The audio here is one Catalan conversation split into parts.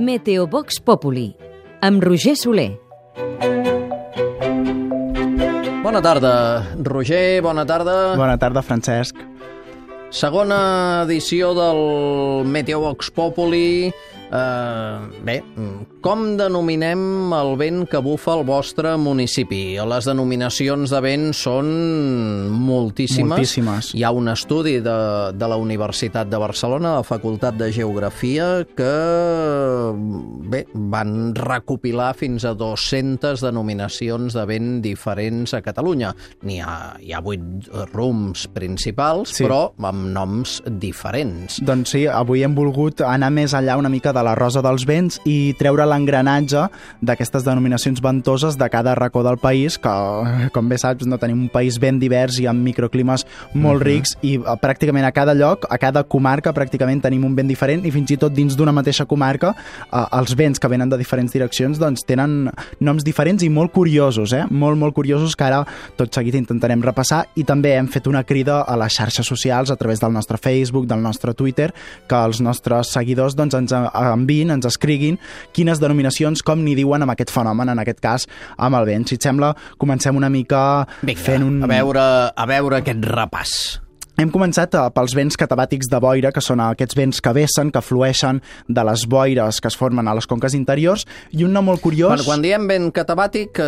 Meteovox Populi, amb Roger Soler. Bona tarda, Roger, bona tarda. Bona tarda, Francesc. Segona edició del Meteovox Populi. Bé, com denominem el vent que bufa al vostre municipi? Les denominacions de vent són moltíssimes. Moltíssimes. Hi ha un estudi de la Universitat de Barcelona, la Facultat de Geografia, que bé, van recopilar fins a 200 denominacions de vent diferents a Catalunya. Hi ha 8 rums principals, sí, però amb noms diferents. Doncs sí, avui hem volgut anar més enllà una mica de la rosa dels vents i treure l'engranatge d'aquestes denominacions ventoses de cada racó del país, que, com bé saps, no tenim un país ben divers i amb microclimes molt rics, i pràcticament a cada lloc, a cada comarca, pràcticament tenim un vent diferent, i fins i tot dins d'una mateixa comarca, els vents que venen de diferents direccions doncs tenen noms diferents i molt curiosos, molt curiosos, que ara tot seguit intentarem repassar. I també hem fet una crida a les xarxes socials a través del nostre Facebook, del nostre Twitter, que els nostres seguidors doncs ens enviïn, ens escriguin quines denominacions, com n'hi diuen amb aquest fenomen, en aquest cas amb el vent. Si et sembla, comencem una mica fent un... A veure aquest repàs. Hem començat pels vents catabàtics de boira, que són aquests vents que vessen, que flueixen de les boires que es formen a les conques interiors, i un nom molt curiós... Quan diem vent catabàtic,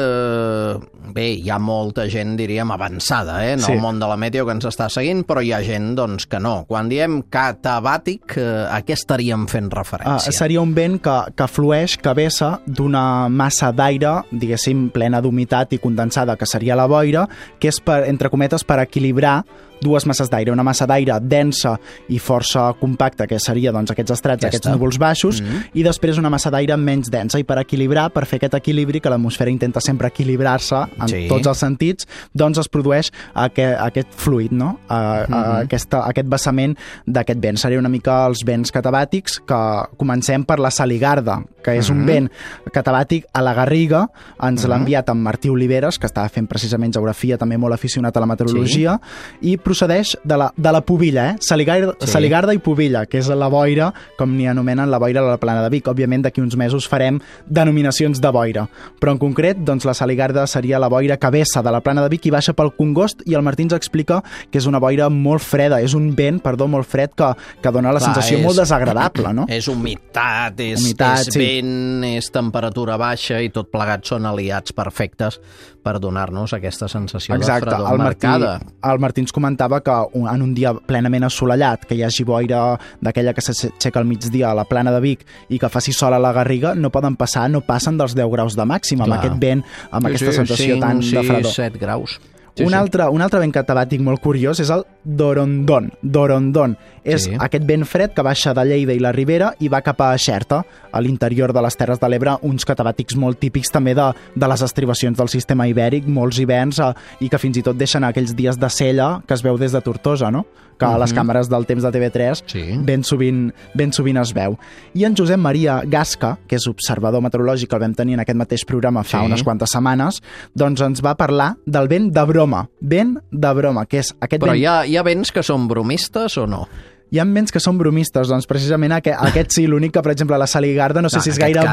bé, hi ha molta gent, diríem, avançada, en el món de la meteo que ens està seguint, però hi ha gent, doncs, que no. Quan diem catabàtic, a què estaríem fent referència? Seria un vent que flueix, que vessa d'una massa d'aire, diguéssim, plena d'humitat i condensada, que seria la boira, que és, entre cometes, per equilibrar dues masses d'aire, una massa d'aire densa i força compacta, que seria doncs, aquests estrats, aquests núvols baixos, i després una massa d'aire menys densa, i per equilibrar, per fer aquest equilibri, que l'atmosfera intenta sempre equilibrar-se en tots els sentits, doncs es produeix aquest fluid, no? Aquest vessament d'aquest vent. Seria una mica els vents catabàtics, que comencem per la Saligarda, que és un vent catabàtic a la Garriga. Ens l'ha enviat en Martí Oliveres, que estava fent precisament geografia, també molt aficionat a la meteorologia, i procedeix de la Pubilla, Saligarda i Pubilla, que és la boira, com n'hi anomenen la boira de la Plana de Vic. Òbviament, d'aquí uns mesos farem denominacions de boira, però en concret, doncs, la Saligarda seria la boira que vessa de la Plana de Vic i baixa pel Congost, i el Martí ens explica que és una boira molt freda, és un vent, molt fred, que dona la sensació molt desagradable, no? És humitat, és vent, és temperatura baixa, i tot plegat són aliats perfectes per donar-nos aquesta sensació de fredor marcada. El Martí ens comentava que en un dia plenament assolellat, que hi hagi boira d'aquella que s'aixeca al migdia a la Plana de Vic i que faci sol a la Garriga, no passen dels 10 graus de màxim, amb aquest vent, amb aquesta sensació tan de fredor. 7 graus. Un altre vent catabàtic molt curiós és el Dorondon. Dorondon és aquest vent fred que baixa de Lleida i la Ribera i va cap a Xerta, a l'interior de les Terres de l'Ebre, uns catabàtics molt típics també de les estribacions del sistema ibèric, molts hiverns, i que fins i tot deixen aquells dies de cella que es veu des de Tortosa, no? Que a les càmeres del temps de TV3 ben sovint es veu. I en Josep Maria Gasca, que és observador meteorològic, el vam tenir en aquest mateix programa fa unes quantes setmanes, doncs ens va parlar del vent de broma. Vent de broma, que és aquest vent... Però hi ha vents que són bromistes o no? Hi ha vents que són bromistes, doncs precisament aquest sí, l'únic que, per exemple, la Saligarda, no sé si és gaire...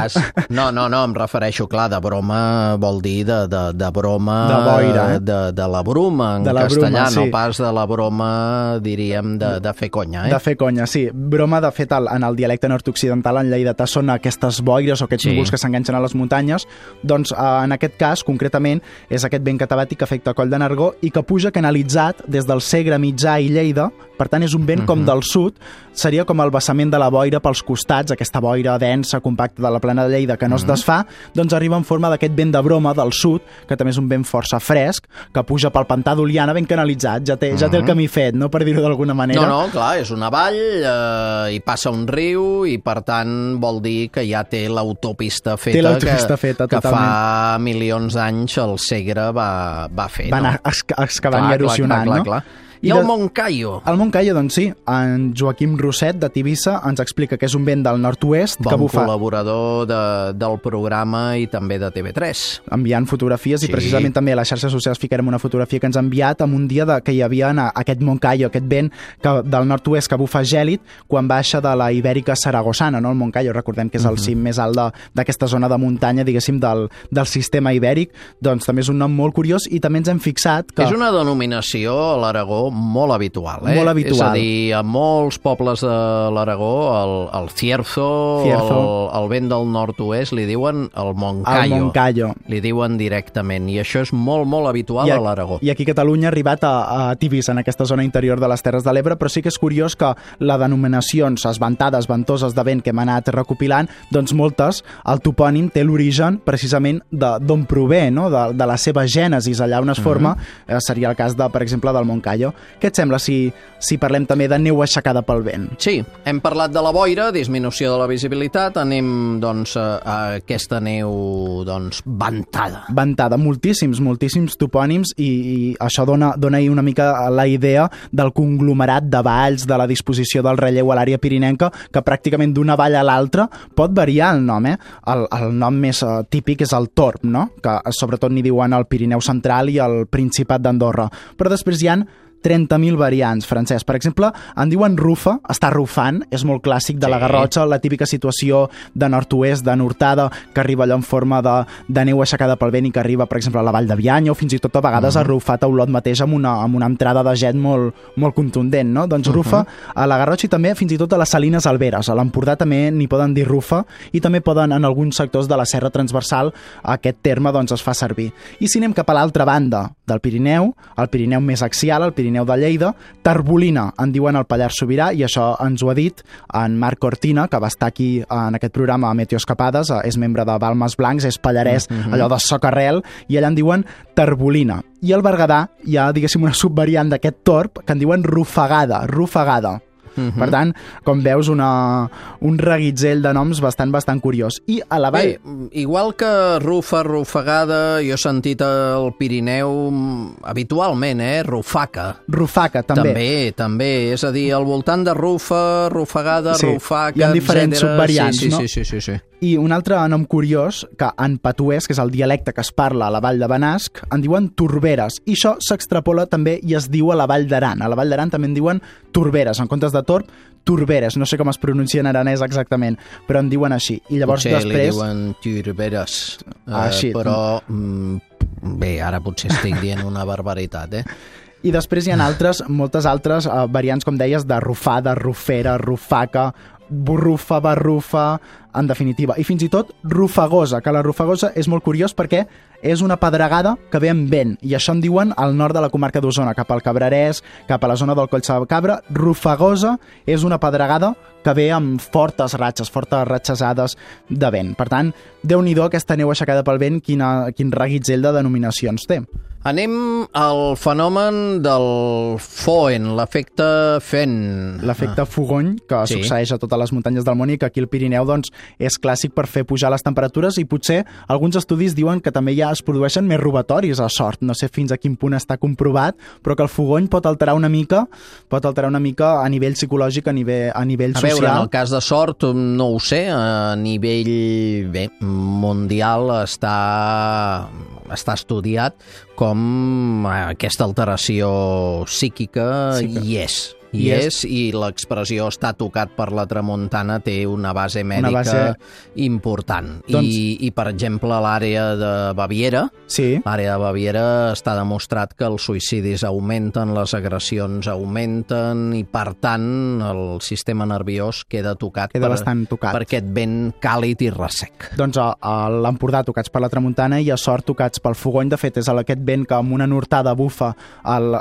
No, em refereixo, clar, de broma vol dir de broma... De boira, de la bruma, en castellà, no pas de la broma, diríem, de fer conya, De fer conya, sí. Broma, de fet, en el dialecte nord-occidental, en lleidatà, són aquestes boires o aquests núvols que s'enganxen a les muntanyes. Doncs, en aquest cas, concretament, és aquest vent catabàtic que afecta Coll de Nargó i que puja canalitzat des del Segre, Mitjà i Lleida. Per tant, és un vent com del sud, seria com el vessament de la boira pels costats, aquesta boira densa, compacta de la Plana de Lleida que no es desfà, doncs arriba en forma d'aquest vent de broma del sud, que també és un vent força fresc, que puja pel pantà d'Oliana ben canalitzat, ja té el camí fet, no, per dir-ho d'alguna manera. No, clar, és una vall, hi passa un riu, i per tant vol dir que ja té l'autopista feta, que fa milions d'anys el Segre va fer. Va anar excavant i erosionant, no? I el Moncayo? El Moncayo, doncs sí. En Joaquim Roset, de Tivissa, ens explica que és un vent del nord-oest que bufa... Bon col·laborador del programa i també de TV3. Enviant fotografies, i precisament també a les xarxes socials ficarem una fotografia que ens ha enviat en un dia que hi havia aquest Moncayo, aquest vent del nord-oest que bufa gèlid quan baixa de la Ibèrica Saragossana, no? El Moncayo, recordem que és el cim més alt d'aquesta zona de muntanya, diguéssim, del sistema ibèric. Doncs també és un nom molt curiós i també ens hem fixat que... És una denominació a l'Aragó molt habitual, Molt habitual. És a dir, a molts pobles de l'Aragó, el Cierzo, el vent del nord-oest, li diuen el Moncayo. El Moncayo. Li diuen directament, i això és molt, molt habitual a l'Aragó. I aquí a Catalunya ha arribat a Tivissa, en aquesta zona interior de les Terres de l'Ebre, però sí que és curiós que les denominacions esventades, ventoses de vent que hem anat recopilant, doncs moltes, el topònim té l'origen precisament d'on prové, no? de la seva gènesis, allà on es forma, seria el cas, per exemple, del Moncayo. Què et sembla si parlem també de neu aixecada pel vent? Sí, hem parlat de la boira, disminució de la visibilitat, anem doncs, a aquesta neu ventada. Ventada, moltíssims topònims, i això dona una mica la idea del conglomerat de valls, de la disposició del relleu a l'àrea pirinenca, que pràcticament d'una vall a l'altra pot variar el nom. El nom més típic és el Torb, no? Que sobretot n'hi diuen al Pirineu Central i al Principat d'Andorra. Però després hi ha 30.000 variants, Francesc. Per exemple, en diuen rufa, està rufant, és molt clàssic de la Garrotxa, la típica situació de nord-oest, de nortada, que arriba allò en forma de neu aixecada pel vent i que arriba, per exemple, a la Vall de Bianya, o fins i tot a vegades a rufat a Olot mateix amb una entrada de jet molt contundent, no? Doncs rufa a la Garrotxa i també fins i tot a les Salines Alberes. A l'Empordà també n'hi poden dir rufa i també poden, en alguns sectors de la Serra Transversal, aquest terme doncs es fa servir. I si anem cap a l'altra banda del Pirineu, el Pirineu més axial, el Pirineu de Lleida, tarbolina, en diuen al Pallars Sobirà, i això ens ho ha dit en Marc Cortina, que va estar aquí en aquest programa a Meteoescapades, és membre de Balmes Blancs, és pallarès, allò de socarrel, i allà en diuen tarbolina. I al Berguedà hi ha, diguéssim, una subvariant d'aquest torb que en diuen rufagada. Per tant, com veus, un reguitzell de noms bastant curiós. I a la vall... Bé, igual que rufa, rufagada, jo he sentit al Pirineu habitualment, rufaca. Rufaca, també. També. És a dir, al voltant de rufa, rufagada, rufaca, etc. Hi ha diferents subvariants, no? Sí. I un altre nom curiós, que en patuès, que és el dialecte que es parla a la Vall de Benasc, en diuen torberes. I això s'extrapola també i es diu a la Vall d'Aran. A la Vall d'Aran també en diuen torberes. En comptes de torb, torberes. No sé com es pronuncia en aranès exactament, però en diuen així. I llavors potser després... li diuen torberes. Així. Però, bé, ara potser estic dient una barbaritat, I després hi ha moltes altres variants, com deies, de rufada, rufera, rufaca, borrufa, barrufa, en definitiva. I fins i tot rufagosa, que la rufagosa és molt curiós perquè és una pedregada que ve amb vent, i això en diuen al nord de la comarca d'Osona, cap al Cabrerès, cap a la zona del Coll de Cabra. Rufagosa és una pedregada que ve amb fortes ratxesades de vent. Per tant, Déu-n'hi-do aquesta neu aixecada pel vent, quin reguitzell de denominacions té. Anem al fenomen del FOEN, l'efecte FEN. L'efecte Fogony, que succeeix a totes les muntanyes del món i que aquí al Pirineu doncs, és clàssic per fer pujar les temperatures, i potser alguns estudis diuen que també ja es produeixen més robatoris a Sort. No sé fins a quin punt està comprovat, però que el fogony pot alterar una mica a nivell psicològic, a nivell social. A veure, en el cas de Sort no ho sé, a nivell mundial està estudiat com aquesta alteració psíquica hi és, i l'expressió està tocat per la tramuntana té una base mèdica important. I, per exemple, a l'àrea de Baviera, l'àrea de Baviera està demostrat que els suïcidis augmenten, les agressions augmenten, i, per tant, el sistema nerviós queda tocat per aquest vent càlid i ressec. Doncs a l'Empordà tocats per la tramuntana i a Sort tocats pel fogony. De fet, és aquest vent que amb una nortada bufa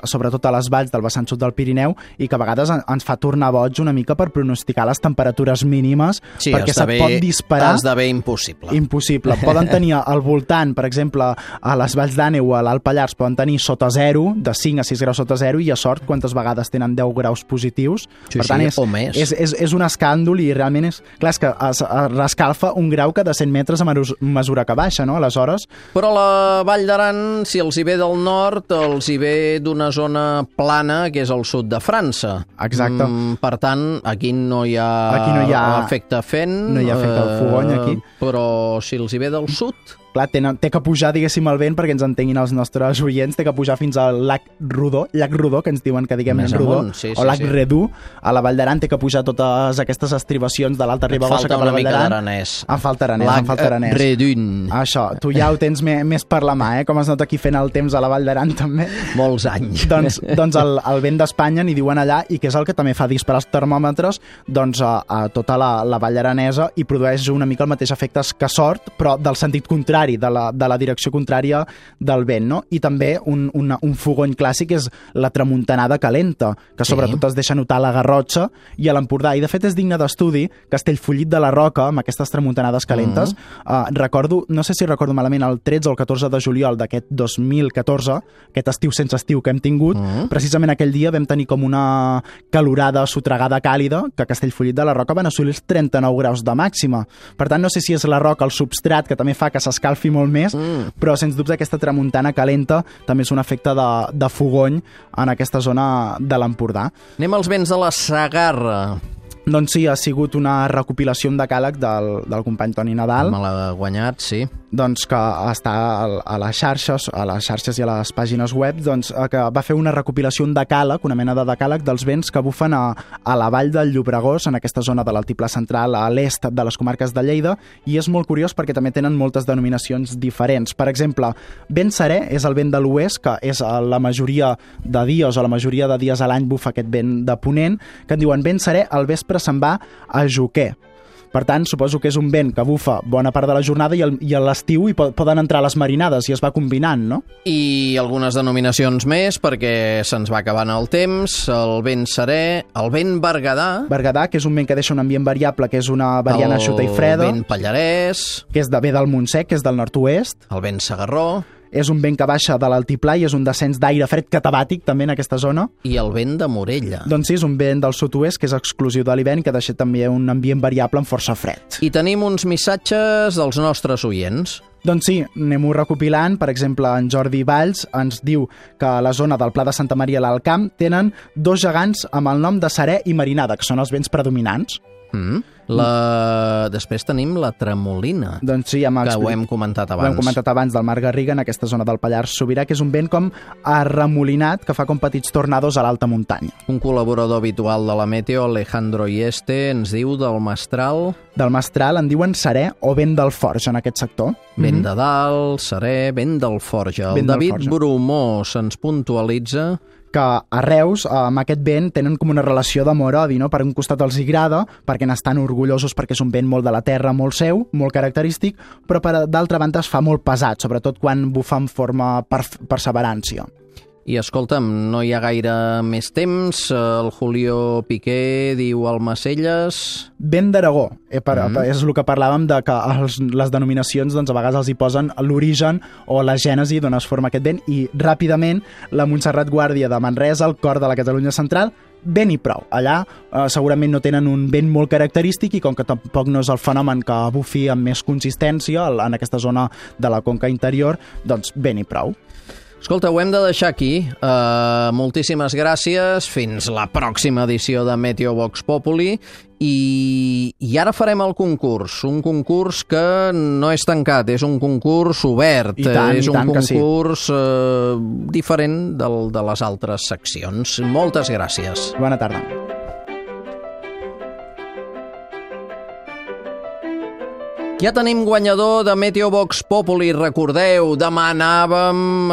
sobretot a les valls del vessant sud del Pirineu i que que a vegades ens fa tornar boig una mica per pronosticar les temperatures mínimes, perquè se't pot disparar... Esdevé impossible. Impossible. Poden tenir al voltant, per exemple, a les Valls d'Àneu o a l'Alt Pallars, poden tenir sota 0, de 5 a 6 graus sota 0, i a sort quantes vegades tenen 10 graus positius. Sí, per tant, o més. És un escàndol i realment és... Clar, és que es rescalfa un grau que de 100 metres a mesura que baixa, no? Aleshores... Però la Vall d'Aran, si els hi ve del nord, els hi ve d'una zona plana, que és el sud de França. Exacte. Per tant, aquí no hi ha efecte fent. No hi ha efecte fogony, aquí. Però si els hi ve del sud... Clar, té que pujar, diguéssim, el vent perquè ens entenguin els nostres oients, té que pujar fins al llac Rodó, que ens diuen que diguem Rodó, o llac Redú, a la Vall d'Aran té que pujar totes aquestes estribacions de l'Alta Ribagorça cap a la Vall d'Aran. Em falta aranès. Llac Redun. Això, tu ja ho tens més per la mà, com es nota aquí fent el temps a la Vall d'Aran també. Molts anys. Doncs el vent d'Espanya n'hi diuen allà, i que és el que també fa disparar els termòmetres a tota la Vall Aranesa, i produeix una mica el mateix efecte que Sort, però del sentit contrari, de la direcció contrària del vent, no? I també un fogony clàssic és la tramuntanada calenta, que sobretot es deixa notar a la Garrotxa i a l'Empordà, i de fet és digne d'estudi. Castellfollit de la Roca, amb aquestes tramuntanades calentes, recordo, no sé si recordo malament, el 13 o el 14 de juliol d'aquest 2014, aquest estiu sense estiu que hem tingut, precisament aquell dia vam tenir com una calorada sotregada càlida, que a Castellfollit de la Roca van assolir els 39 graus de màxima. Per tant, no sé si és la roca, el substrat, que també fa que s'escalfi molt més, però sens dubte aquesta tramuntana calenta també és un efecte de fogony en aquesta zona de l'Empordà. Anem als vents de la Segarra. Doncs sí, ha sigut una recopilació en decàleg del company Toni Nadal. Me l'ha guanyat, sí. Doncs que està a les xarxes i a les pàgines web, doncs que va fer una recopilació, un decàleg, una mena de decàleg dels vents que bufen a la vall del Llobregós, en aquesta zona de l'altiplà central, a l'est de les comarques de Lleida, i és molt curiós perquè també tenen moltes denominacions diferents. Per exemple, vent serè és el vent de l'oest, que és la majoria de dies, o la majoria de dies a l'any bufa aquest vent de ponent, que en diuen vent serè, al vespre se'n va a Joquer. Per tant, suposo que és un vent que bufa bona part de la jornada i a l'estiu hi poden entrar les marinades i es va combinant, no? I algunes denominacions més, perquè se'ns va acabant el temps. El vent serè, el vent berguedà... Berguedà, que és un vent que deixa un ambient variable, que és una variant eixuta i freda. El vent pallarès... Que és ve del Montsec, que és del nord-oest. El vent segarró... És un vent que baixa de l'altiplà i és un descens d'aire fred catabàtic també en aquesta zona. I el vent de Morella. Doncs sí, és un vent del sud-oest que és exclusiu de l'hivern i que deixa també un ambient variable amb força fred. I tenim uns missatges dels nostres oients. Doncs sí, anem-ho recopilant. Per exemple, en Jordi Valls ens diu que a la zona del Pla de Santa Maria a l'Alt Camp tenen dos gegants amb el nom de serè i marinada, que són els vents predominants. Després tenim la tremolina, doncs sí, que ho hem comentat abans. Ho hem comentat abans, del Mar Garriga, en aquesta zona del Pallars Sobirà, que és un vent com arremolinat, que fa com petits tornados a l'alta muntanya. Un col·laborador habitual de la Meteo, Alejandro Ieste, ens diu del Mestral... Del Mestral en diuen serè o vent del Forja, en aquest sector. Vent de dalt, serè, vent del Forja. El David Bromó se'ns puntualitza que a Reus, amb aquest vent, tenen com una relació d'amor-odi, no? Per un costat els agrada, perquè n'estan orgullosos perquè és un vent molt de la terra, molt seu, molt característic, però d'altra banda es fa molt pesat, sobretot quan bufa en forma perseverància. I escolta'm, no hi ha gaire més temps. El Julio Piqué diu Almacelles... Vent d'Aragó. És el que parlàvem, de que les denominacions doncs, a vegades els hi posen l'origen o la gènesi d'on es forma aquest vent, i ràpidament la Montserrat Guàrdia de Manresa, el cor de la Catalunya central, vent i prou. Allà segurament no tenen un vent molt característic i com que tampoc no és el fenomen que bufi amb més consistència en aquesta zona de la conca interior, doncs vent i prou. Escolta, ho hem de deixar aquí. Moltíssimes gràcies. Fins la pròxima edició de Meteo Vox Populi. I ara farem el concurs. Un concurs que no és tancat, és un concurs obert. És un concurs diferent de les altres seccions. Moltes gràcies. Bona tarda. Ja tenim guanyador de Meteo Vox Populi, recordeu, demanàvem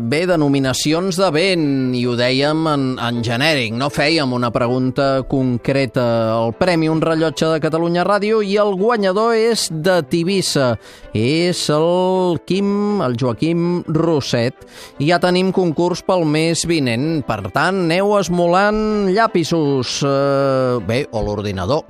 denominacions de vent i ho dèiem en genèric, no fèiem una pregunta concreta. El premi Un rellotge de Catalunya Ràdio i el guanyador és de Tivissa, és el Joaquim Roset. I ja tenim concurs pel mes vinent, per tant, aneu esmolant llapisos, o l'ordinador.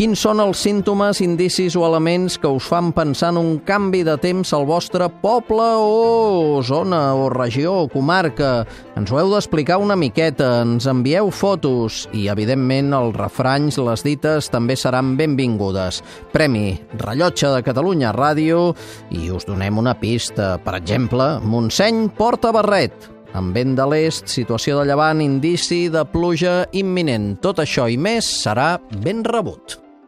Quins són els símptomes, indicis o elements que us fan pensar en un canvi de temps al vostre poble o zona o regió o comarca? Ens ho heu d'explicar una miqueta, ens envieu fotos i, evidentment, els refranys, les dites, també seran benvingudes. Premi Rellotge de Catalunya Ràdio i us donem una pista. Per exemple, Montseny porta barret. Amb vent de l'est, situació de llevant, indici de pluja imminent. Tot això i més serà ben rebut.